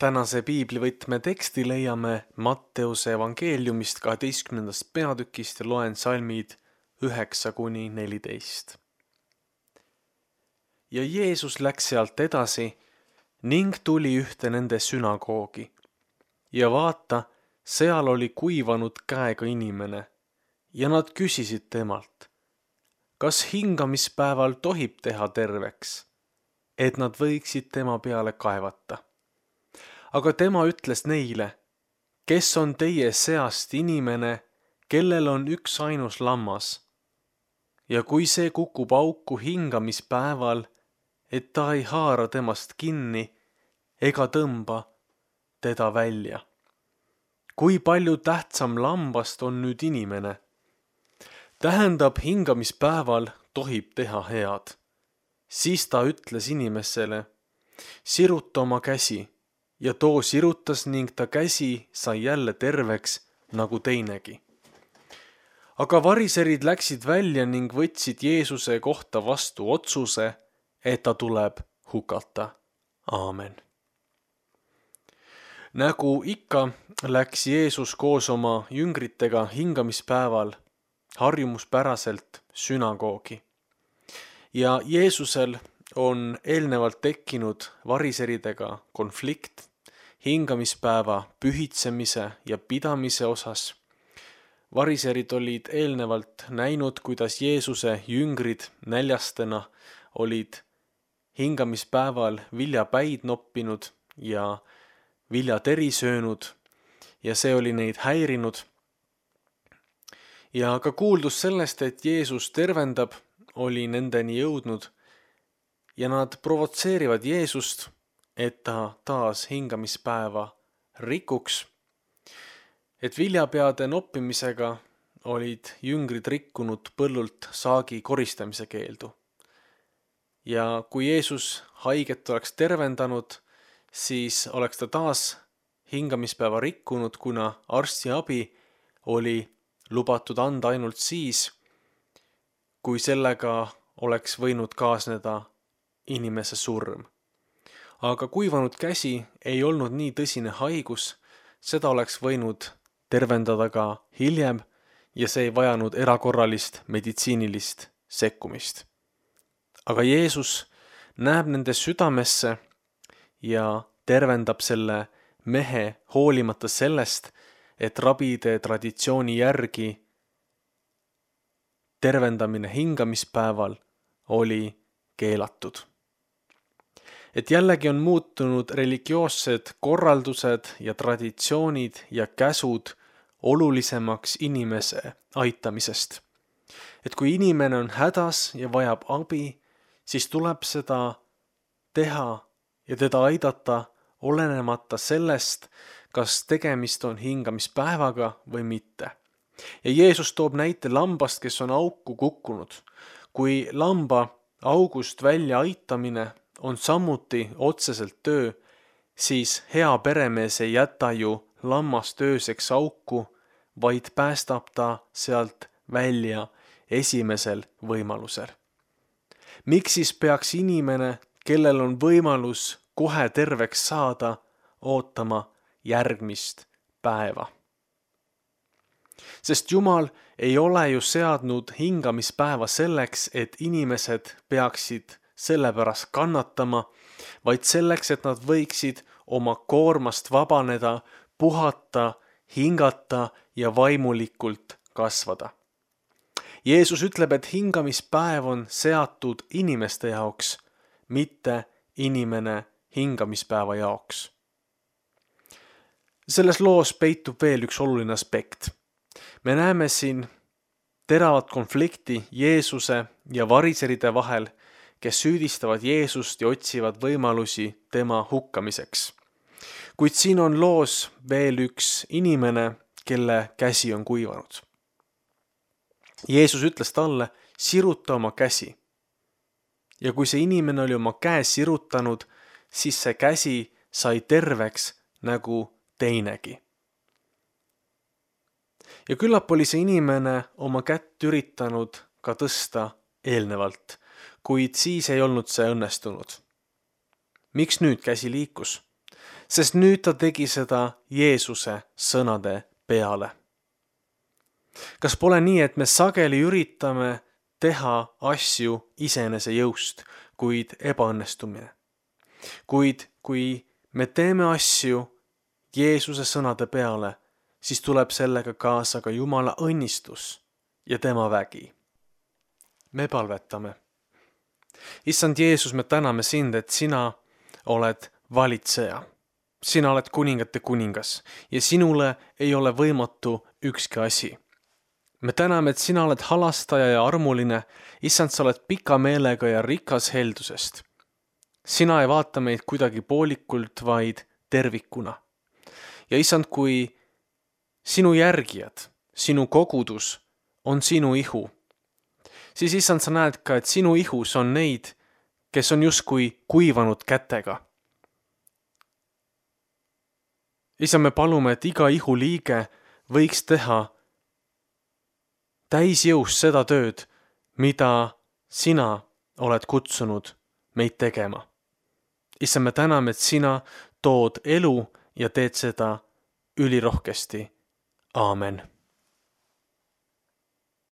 Tänase piiblivõtme teksti leiame Matteuse evangeeliumist 12. peatükist ja loen salmid 9–14. Ja Jeesus läks sealt edasi ning tuli ühte nende sünagoogi. Ja vaata, seal oli kuivanud käega inimene ja nad küsisid temalt, kas hingamispäeval tohib teha terveks, et nad võiksid tema peale kaevata. Aga tema ütles neile, kes on teie seast inimene, kellel on üks ainus lammas. Ja kui see kukub auku hingamispäeval, et ta ei haara temast kinni ega tõmba teda välja. Kui palju tähtsam lambast on nüüd inimene? Tähendab, hingamispäeval tohib teha head. Siis ta ütles inimesele, siruta oma käsi. Ja too sirutas ning ta käsi sai jälle terveks nagu teinegi. Aga variserid läksid välja ning võtsid Jeesuse kohta vastu otsuse, et ta tuleb hukata. Aamen. Nagu ikka läks Jeesus koos oma jüngritega hingamispäeval harjumuspäraselt sünagoogi. Ja Jeesusel on eelnevalt tekkinud variseridega konflikt hingamispäeva pühitsemise ja pidamise osas. Variserid olid eelnevalt näinud, kuidas Jeesuse jüngrid näljastena olid hingamispäeval viljapäid noppinud ja viljateri söönud ja see oli neid häirinud. Ja ka kuuldus sellest, et Jeesus tervendab, oli nendeni jõudnud ja nad provotseerivad Jeesust, et ta taas hingamispäeva rikuks. Et viljapeade noppimisega olid jüngrid rikkunud põllult saagi koristamise keeldu. Ja kui Jeesus haiget oleks tervendanud, siis oleks ta taas hingamispäeva rikkunud, kuna arstiabi oli lubatud anda ainult siis, kui sellega oleks võinud kaasneda inimese surm. Aga kuivanud käsi ei olnud nii tõsine haigus, seda oleks võinud tervendada ka hiljem ja see ei vajanud erakorralist meditsiinilist sekkumist. Aga Jeesus näeb nende südamesse ja tervendab selle mehe hoolimata sellest, et rabide traditsiooni järgi tervendamine hingamispäeval oli keelatud. Et jällegi on muutunud religioossed korraldused ja traditsioonid ja käsud olulisemaks inimese aitamisest. Et kui inimene on hädas ja vajab abi, siis tuleb seda teha ja teda aidata olenemata sellest, kas tegemist on hingamispäevaga või mitte. Ja Jeesus toob näite lambast, kes on auku kukkunud. Kui lamba august välja aitamine on samuti otseselt töö, siis hea peremees ei jäta ju lammast ööseks auku, vaid päästab ta sealt välja esimesel võimalusel. Miks siis peaks inimene, kellel on võimalus kohe terveks saada, ootama järgmist päeva? Sest Jumal ei ole ju seadnud hingamispäeva selleks, et inimesed peaksid sellepärast kannatama, vaid selleks, et nad võiksid oma koormast vabaneda, puhata, hingata ja vaimulikult kasvada. Jeesus ütleb, et hingamispäev on seatud inimeste jaoks, mitte inimene hingamispäeva jaoks. Selles loos peitub veel üks oluline aspekt. Me näeme siin teravat konflikti Jeesuse ja variseride vahel, kes süüdistavad Jeesust ja otsivad võimalusi tema hukkamiseks. Kuid siin on loos veel üks inimene, kelle käsi on kuivanud. Jeesus ütles talle, siruta oma käsi. Ja kui see inimene oli oma käe sirutanud, siis see käsi sai terveks nagu teinegi. Ja küllap oli see inimene oma kätt üritanud ka tõsta eelnevalt, kuid siis ei olnud see õnnestunud. Miks nüüd käsi liikus? sest nüüd ta tegi seda Jeesuse sõnade peale. Kas pole nii, et me sageli üritame teha asju iseenese jõust, kuid ebaõnnestumine? Kuid kui me teeme asju Jeesuse sõnade peale, siis tuleb sellega kaasa ka Jumala õnnistus ja tema vägi. Me palvetame. Issand Jeesus, me täname sind, et sina oled valitseja. Sina oled kuningate kuningas ja sinule ei ole võimatu ükski asi. Me täname, et sina oled halastaja ja armuline. Issand, sa oled pika meelega ja rikas heldusest. Sina ei vaata meid kuidagi poolikult, vaid tervikuna. Ja issand, kui sinu järgijad, sinu kogudus on sinu ihu, siis issand, sa näed ka, et sinu ihus on neid, kes on justkui kuivanud kätega. Issand, me palume, et iga ihu liige võiks teha täisjõus seda tööd, mida sina oled kutsunud meid tegema. Issand, me täname, et sina tood elu ja teed seda ülirohkesti. Aamen.